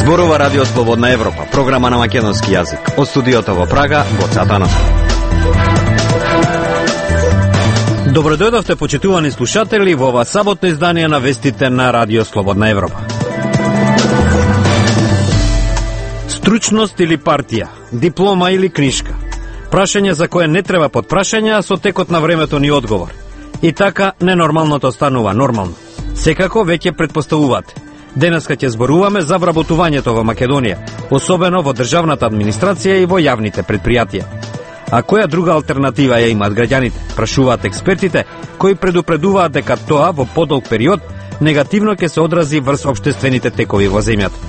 Зборува Радио Слободна Европа, програма на македонски јазик. Од студиото во Прага, Гоце Атанасов. Добро дојдовте, почитувани слушатели, во ова саботно издание на вестите на Радио Слободна Европа. Стручност или партија, диплома или книшка. Прашање за кое не треба подпрашање, а со текот на времето ни одговор. И така, ненормалното станува нормално. Секако веќе предпоставувате. Денеска ќе зборуваме за вработувањето во Македонија, особено во државната администрација и во јавните предпријатија. А која друга алтернатива ја имаат граѓаните? Прашуваат експертите, кои предупредуваат дека тоа во подолг период негативно ќе се одрази врз општествените текови во земјата.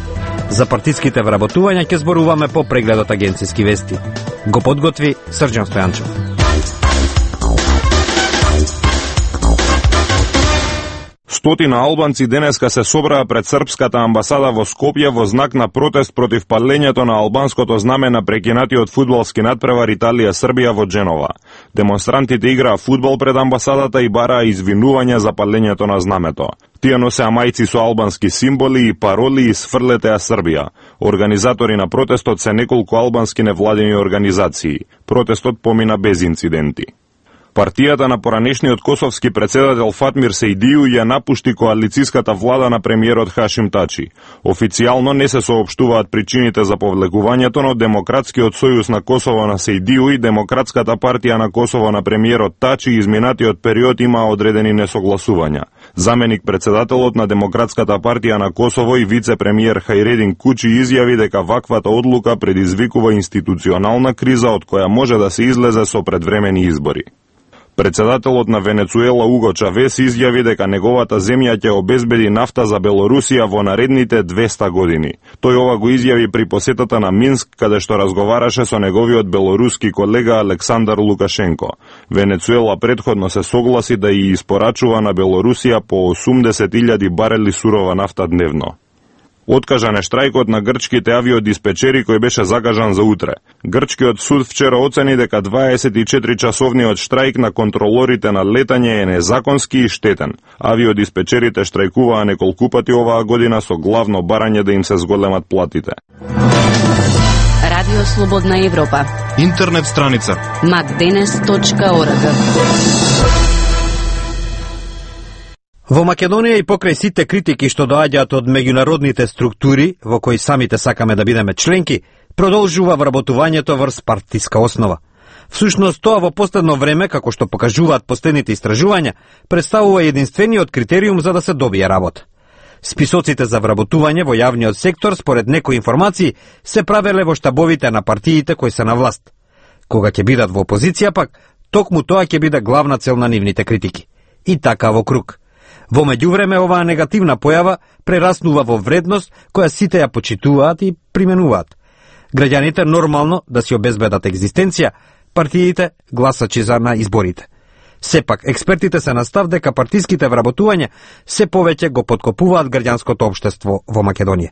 За партиските вработувања ќе зборуваме по прегледот агенцијски вести. Го подготви Срđan Стојанчев. Стотина албанци денеска се собраа пред српската амбасада во Скопје во знак на протест против палењето на албанското знаме на прекинатиот фудбалски натпревар Италија-Србија во Дженова. Демонстрантите играа фудбал пред амбасадата и бараа извинување за палењето на знамето. Тие носеа мајци со албански символи и пароли и сфрлете Србија. Организатори на протестот се неколку албански невладени организации. Протестот помина без инциденти. Партијата на поранешниот косовски председател Фатмир Сејдију ја напушти коалицијската влада на премиерот Хашим Тачи. Официјално не се соопштуваат причините за повлекувањето, но Демократскиот сојуз на Косово на Сејдију и Демократската партија на Косово на премиерот Тачи изминатиот период имаа одредени несогласувања. Заменик председателот на Демократската партија на Косово и вице-премиер Хајредин Кучи изјави дека ваквата одлука предизвикува институционална криза од која може да се излезе со предвремени избори. Председателот на Венецуела Уго Чавес изјави дека неговата земја ќе обезбеди нафта за Белорусија во наредните 200 години. Тој ова го изјави при посетата на Минск, каде што разговараше со неговиот белоруски колега Александар Лукашенко. Венецуела претходно се согласи да ја испорачува на Белорусија по 80.000 барели сурова нафта дневно. Откажан е штрајкот на грчките авиодиспечери кој беше закажан за утре. Грчкиот суд вчера оцени дека 24-часовниот штрајк на контролорите на летање е незаконски и штетен. Авиодиспечерите штрајкуваа неколку пати оваа година со главно барање да им се зголемат платите. Радио Слободна Европа. Интернет страница macdenes.org. Во Македонија и покрај сите критики што доаѓаат од меѓународните структури, во кои самите сакаме да бидеме членки, продолжува вработувањето врз партиска основа. Всушност тоа во последно време, како што покажуваат последните истражувања, представува единствениот критериум за да се добие работа. Списоците за вработување во јавниот сектор, според некои информации, се правеле во штабовите на партиите кои се на власт. Кога ќе бидат во опозиција пак, токму тоа ќе биде главна цел на нивните критики. И така во круг. Во меѓувреме оваа негативна појава прераснува во вредност која сите ја почитуваат и применуваат. Граѓаните нормално да си обезбедат екзистенција, партиите гласачи за на изборите. Сепак, експертите се на став дека партиските вработувања се повеќе го подкопуваат граѓанското општество во Македонија.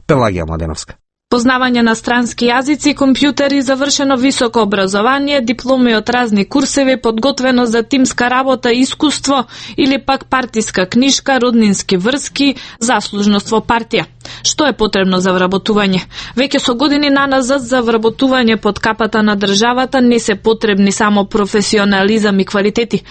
Пелагија Младеновска. Познавање на странски јазици, компјутери, завршено високо образование, дипломи од разни курсеви, подготвено за тимска работа и искуство или пак партиска книшка, роднински врски, заслужност во партија. Што е потребно за вработување? Веќе со години наназад за вработување под капата на државата не се потребни само професионализам и квалитети.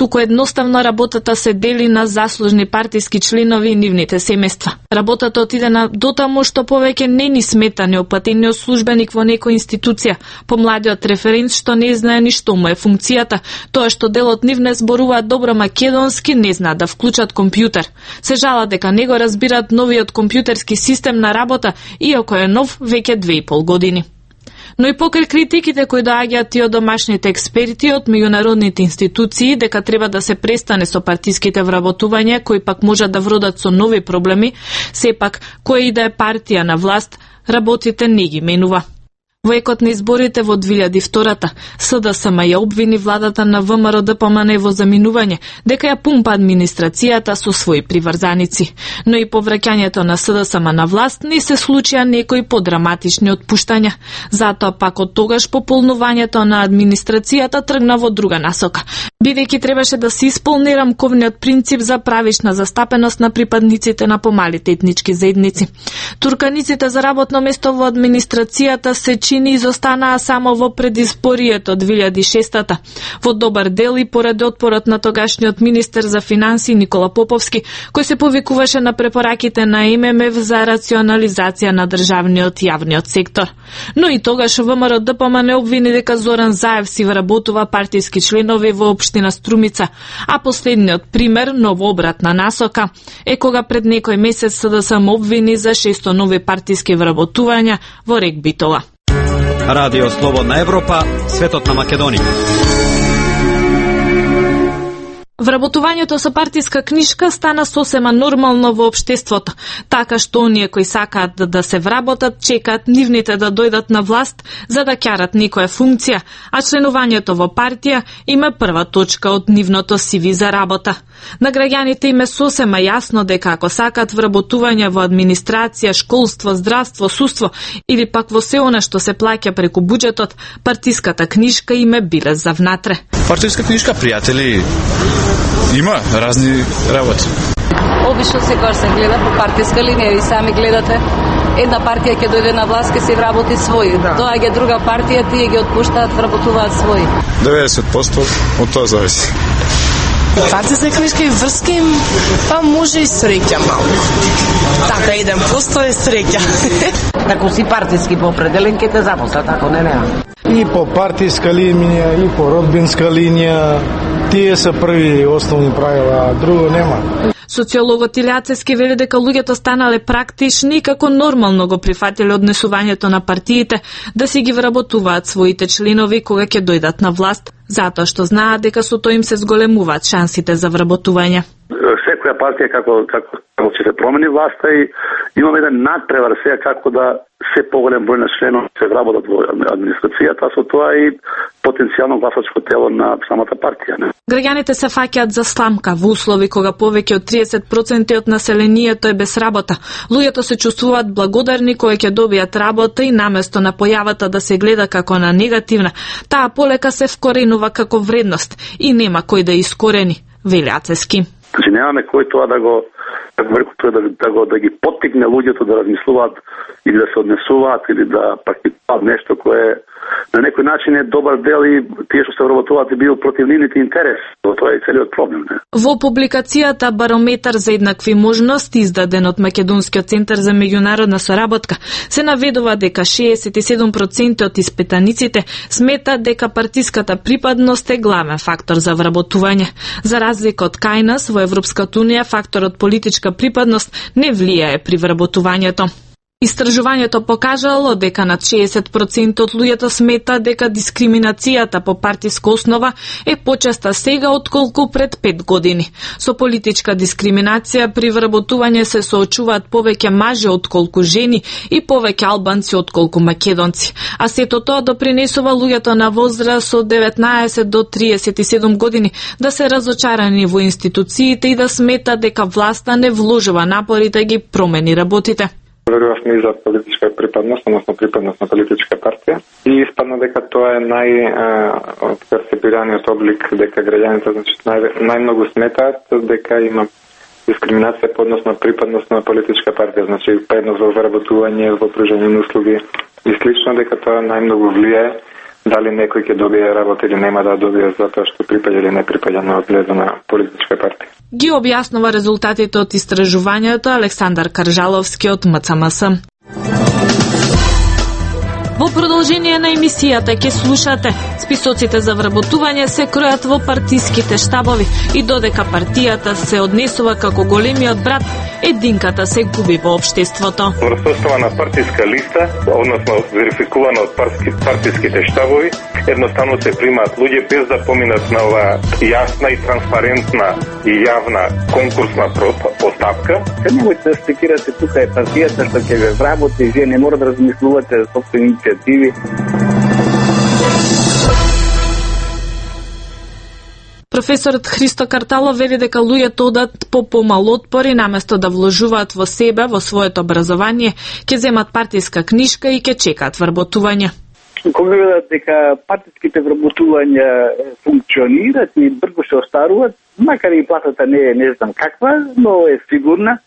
Туку едноставно работата се дели на заслужни партиски членови и нивните семејства. Работата отиде на дотаму што повеќе не ни смета неопатениот службеник во некоја институција, помладиот референт што не знае ни што му е функцијата, тоа што делот нив не зборуваат добро македонски, не знаат да вклучат компјутер. Се жалат дека не го разбираат новиот компјутерски систем на работа, иако е нов веќе 2,5 години. Но и покрај критиките кои доаѓаат и од домашните експерти од меѓународните институции дека треба да се престане со партиските вработувања кои пак можат да вродат со нови проблеми, сепак која и да е партија на власт, работите не ги менува. Во екот на изборите во 2002-та, СДСМ ја обвини владата на ВМРО ДПМН во заминување, дека ја пумпа администрацијата со своји приврзаници. Но и по враќањето на СДСМ на власт не се случија некои подраматични отпуштања. Затоа пак од тогаш пополнувањето на администрацијата тргна во друга насока, бидејќи требаше да се исполни рамковниот принцип за правишна застапеност на припадниците на помалите етнички заедници. Турканиците за работно место во администрацијата се чини изостанаа само во предизборието 2006-та. Во добар дел и поради отпорот на тогашниот министер за финансии Никола Поповски, кој се повикуваше на препораките на ММФ за рационализација на државниот јавниот сектор. Но и тогаш ВМРО ДПМН обвини дека Зоран Заев си вработува партиски членови во општина Струмица, а последниот пример, новообратна насока, е кога пред некој месец СДСМ обвини за 600 нови партиски вработувања во Рек Битола. Радио Слободна Европа, светот на Македонија. Вработувањето со партиска книшка стана сосема нормално во општеството, така што оние кои сакаат да се вработат чекаат нивните да дојдат на власт за да ќарат некоја функција, а членувањето во партија има прва точка од нивното CV за работа. На граѓаните им е сосема јасно дека ако сакаат вработување во администрација, школство, здравство, судство или пак во се она што се плаќа преку буџетот, партиската книшка им е билез за внатре. Партиска книшка, пријатели, има разни работи. Обично секогаш се гледа по партиска линија и сами гледате. Една партија ќе дојде на власт, ќе се вработи своји. Доаѓа друга партија, тие ги отпуштаат, вработуваат своји. 90% од тоа зависи. Партиска книшка и врски, па може и среќа малку. Така 1% е среќа. Тако си партиски по определен ке те запослат, ако не. И по партиска линија, и по родбинска линија, тие се први основни правила, а друго нема. Социологот Илјацевски вели дека луѓето станале практични и како нормално го прифатиле однесувањето на партиите да си ги вработуваат своите членови кога ќе дојдат на власт, затоа што знаат дека со тоа им се зголемуваат шансите за вработување. Секоја партија како ќе се промени власта и имаме еден надпревар сега како да се поголем број на членови се вработат во администрацијата, со тоа и потенцијално гласачко тело на самата партија. Граѓаните се фаќаат за сламка во услови кога повеќе од 30% од населението е без работа. Луѓето се чувствуваат благодарни кога ќе добијат работа и наместо на појавата да се гледа како на негативна, таа полека се вкоренува како вредност и нема кој да искорени, вели Ацевски. Значи немаме кој тоа да ги поттикне луѓето да размислуваат или да се однесуваат или да практикуваат нешто кое на некој начин е добар дел и тие што се вработуваат и бил против нивните интерес. Тоа е целиот проблем. Во публикацијата Барометар за еднакви можности, издаден од Македонскиот центар за меѓународна соработка, се наведува дека 67% од испитаниците сметаат дека партиската припадност е главен фактор за вработување. За разлика од кај нас, во Европската унија факторот политичка припадност не влијае при вработувањето. Истражувањето покажало дека над 60% од луѓето сметаат дека дискриминацијата по партиска основа е почеста сега отколку пред 5 години. Со политичка дискриминација при вработување се соочуваат повеќе мажи отколку жени и повеќе албанци отколку македонци. А сето тоа допринесува луѓето на возраст од 19 до 37 години да се разочарани во институциите и да сметаат дека власта не вложува напори да ги промени работите. Верувавме и за политичка припадност, односно припадност на политичка партија. И испадна дека тоа е најперцепираниот облик, дека граѓаните најмногу сметаат дека има дискриминација по однос на припадност на политичка партија, значи предност во вработување, во пружање на услуги и слично, дека тоа најмногу влијае дали некој ќе добие работа или нема да добие затоа што припаѓа или не припаѓа на одгледана политичка партија. Ги објаснува резултатите од истражувањето Александар Каржаловски од МЦМС. Во продолжение на емисијата ќе слушате: списоците за вработување се кројат во партиските штабови и додека партијата се однесува како големиот брат, единката се губи во општеството. Врз основа на партиска листа, односно верификувана од партиските штабови, едноставно се примаат луѓе без да поминат на оваа јасна и транспарентна и јавна конкурсна постапка. Немојте да стекирате тука е партијата што ќе ве вработи, вие не мора да размислувате за собствени иницијативи. Професорот Христо Карталов вели дека луѓето одат по помал отпори наместо да вложуваат во себе, во своето образование, ќе земат партиска книшка и ќе чекаат вработување. Кога видат дека партиските вработувања функционираат и брзо се остаруваат, макар и платата не знам каква, но е сигурна.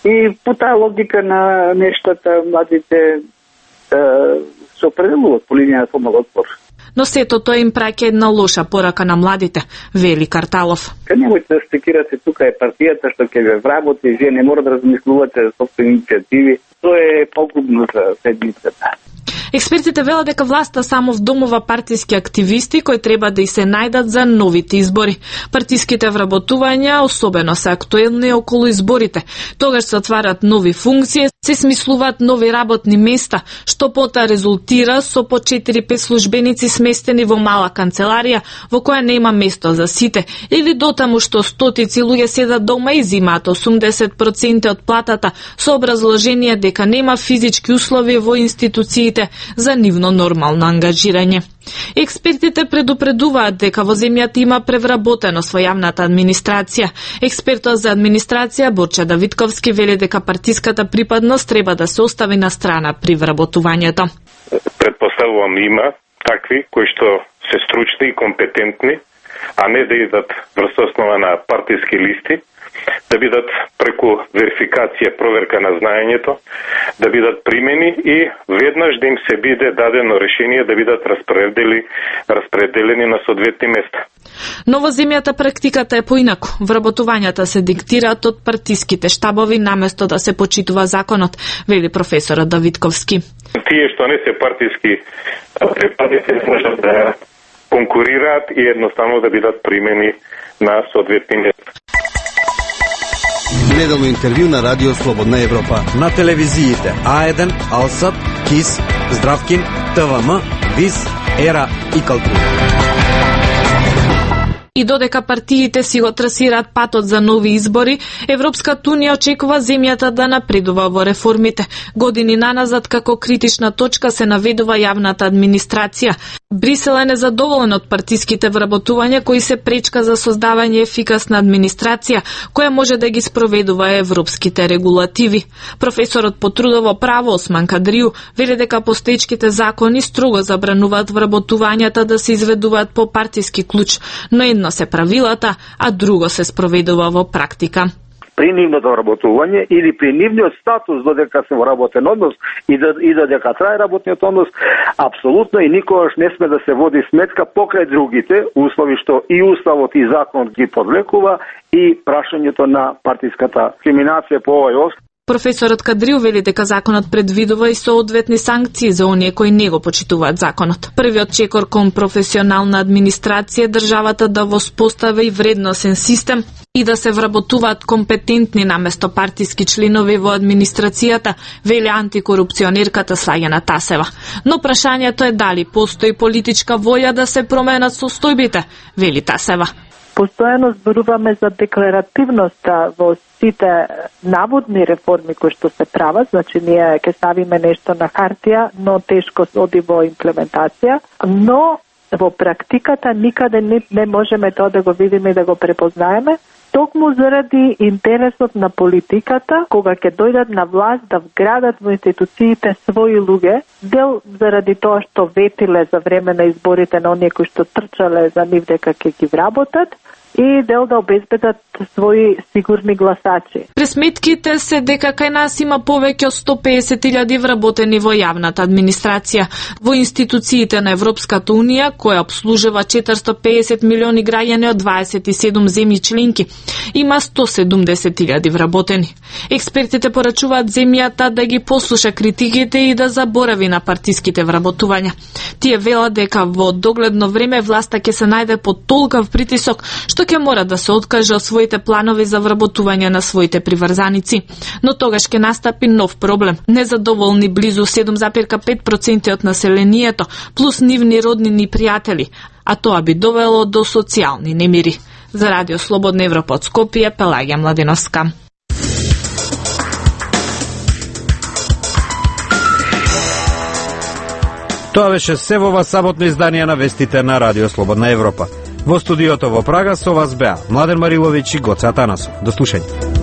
И по таа логика на нештата младите се определуваат по линија на помал отпор. Но сето тоа им праќа една лоша порака на младите, вели Карталов. Немојте да стекирате тука е партијата што ќе ве вработи, вие не мора да размислувате за собствени иницијативи. Тоа е погубно за седмицата. Експертите велат дека власта само вдомува партиски активисти кои треба да и се најдат за новите избори. Партиските вработувања особено се актуелни околу изборите. Тогаш се отварат нови функции, се смислуваат нови работни места, што пота резултира со по 4-5 службеници сместени во мала канцеларија во која нема место за сите, или дотаму што стотици луѓе седат дома и зимаат 80% од платата со образложение дека нема физички услови во институциите за нивно нормално ангажирање. Експертите предупредуваат дека во земјата има превработеност во јавната администрација. Експертот за администрација Борче Давидковски вели дека партиската припадност треба да се остави на страна при вработувањето. Предпоставувам има такви кои што се стручни и компетентни, а не да идат врз основа на партиски листи, да бидат преку верификација, проверка на знаењето, да бидат примени и веднаш да им се биде дадено решение да бидат распределени на соодветни места. Но во земјата практиката е поинаку. Вработувањата се диктираат од партиските штабови наместо да се почитува законот, вели професорот Давидковски. Тие што не се партиски припадници можат да конкурираат и едноставно да бидат примени на соодветни места. Неделно интервју на Радио Слободна Европа. На телевизиите А1, Алсат, КИС, Здравкин, ТВМ, ВИС, ЕРА и Калтура. И додека партиите си го трасираат патот за нови избори, Европската унија очекува земјата да напредува во реформите. Години наназад како критична точка се наведува јавната администрација. Брисел е незадоволен од партиските вработувања кои се пречка за создавање ефикасна администрација, која може да ги спроведува европските регулативи. Професорот по трудово право Осман Кадрију вели дека постоечките закони строго забрануваат вработувањата да се изведуваат по партиски клуч, но едно се правилата, а друго се спроведува во практика. При нивното вработување или при нивниот статус додека се во работен однос и додека трае работниот однос, апсолутно и никогаш не сме да се води сметка покрај другите услови што и уставот и законот ги подлекува и прашањето на партиската дискриминација по овој основ. Професорот Кадрију вели дека законот предвидува и соодветни санкции за оние кои не го почитуваат законот. Првиот чекор кон професионална администрација државата да воспостави вредносен систем и да се вработуваат компетентни наместо партиски членови во администрацијата, вели антикорупционерката Слајана Тасева. Но прашањето е дали постои политичка волја да се променат состојбите, вели Тасева. Постојано зборуваме за декларативноста во сите наводни реформи кои што се прават, значи ние ќе ставиме нешто на хартија, но тешко оди во имплементација, но во практиката никаде не можеме тоа да го видиме и да го препознаеме, токму заради интересот на политиката, кога ќе дојдат на власт да вградат во институциите своји луѓе, дел заради тоа што ветиле за време на изборите на оние кои што трчале за нив дека ќе ги вработат, и дел да обезбедат своји сигурни гласачи. Пресметките се дека кај нас има повеќе од 150.000 вработени во јавната администрација, во институциите на Европската унија, која обслужува 450 милиони граѓани од 27 земји членки. Има 170.000 вработени. Експертите порачуваат земјата да ги послуша критиките и да заборави на партиските вработувања. Тие велат дека во догледно време власта ќе се најде под толкав притисок што ќе мора да се откаже од своите планови за вработување на своите приврзаници. Но тогаш ќе настапи нов проблем. Незадоволни близу 7,5% од населението, плюс нивни роднини и пријатели, а тоа би довело до социјални немири. За Радио Слободна Европа од Скопје, Пелагија Младиновска. Тоа беше се во ова саботно издание на вестите на Радио Слободна Европа. Во студиото во Прага со вас беа Младен Мариловиќ и Гоце Атанасов. До слушање.